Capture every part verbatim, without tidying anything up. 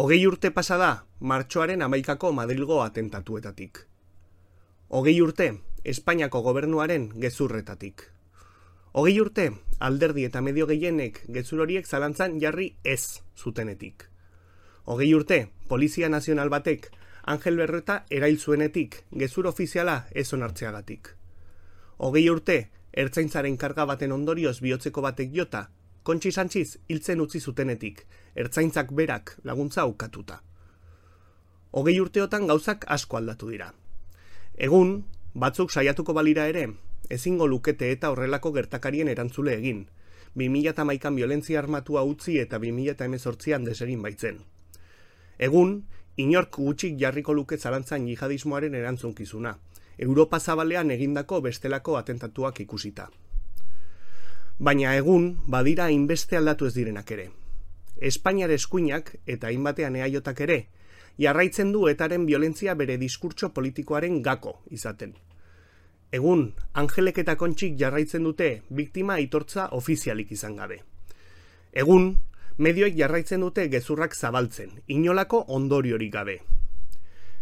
Hogei urte pasada, martxoaren hamaikako Madrilgo atentatuetatik. Hogei urte, Espainiako gobernuaren gezurretatik. Hogei urte, alderdi eta medio gehienek gezur horiek zalantzan jarri ez zutenetik. Hogei urte, Polizia Nazional batek Angel Berreta erail zuenetik, gezur ofiziala ez onartzeagatik. Hogei urte, ertzaintzaren karga baten ondorioz bihotzeko batek jota, Kontxi Santxiz hiltzen utzi zutenetik, ertzaintzak berak laguntza ukatuta. Hogei urteotan gauzak asko aldatu dira. Egun, batzuk saiatuko balira ere, ezingo lukete eta horrelako gertakarien erantzule egin, bi mila hamaikan biolentzia armatua utzi eta bi mila hemezortzian desegin baitzen. Egun, inork gutxik jarriko luke zalantzan jihadismoaren erantzunkizuna, Europa zabalean egindako bestelako atentatuak ikusita. Baina egun, badira hainbeste aldatu ez direnak ere. Espainiar eskuinak eta hainbatean eaiotak ere, jarraitzen du etaren biolentzia bere diskurtso politikoaren gako izaten. Egun, Angelek eta Kontxik jarraitzen dute biktima aitortza ofizialik izan gabe. Egun, medioek jarraitzen dute gezurrak zabaltzen, inolako ondoriorik gabe.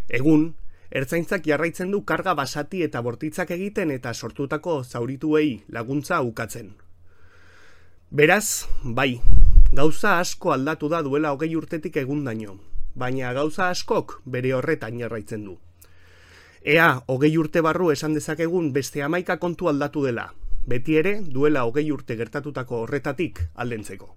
Egun, ertzaintzak jarraitzen du karga basati eta bortitzak egiten eta sortutako zaurituei laguntza ukatzen. Beraz, bai, gauza asko aldatu da duela hogei urtetik egundaino, baina gauza askok bere horretan jarraitzen du. Ea, hogei urte barru esan dezakegun beste hamaika kontu aldatu dela, beti ere duela hogei urte gertatutako horretatik aldentzeko.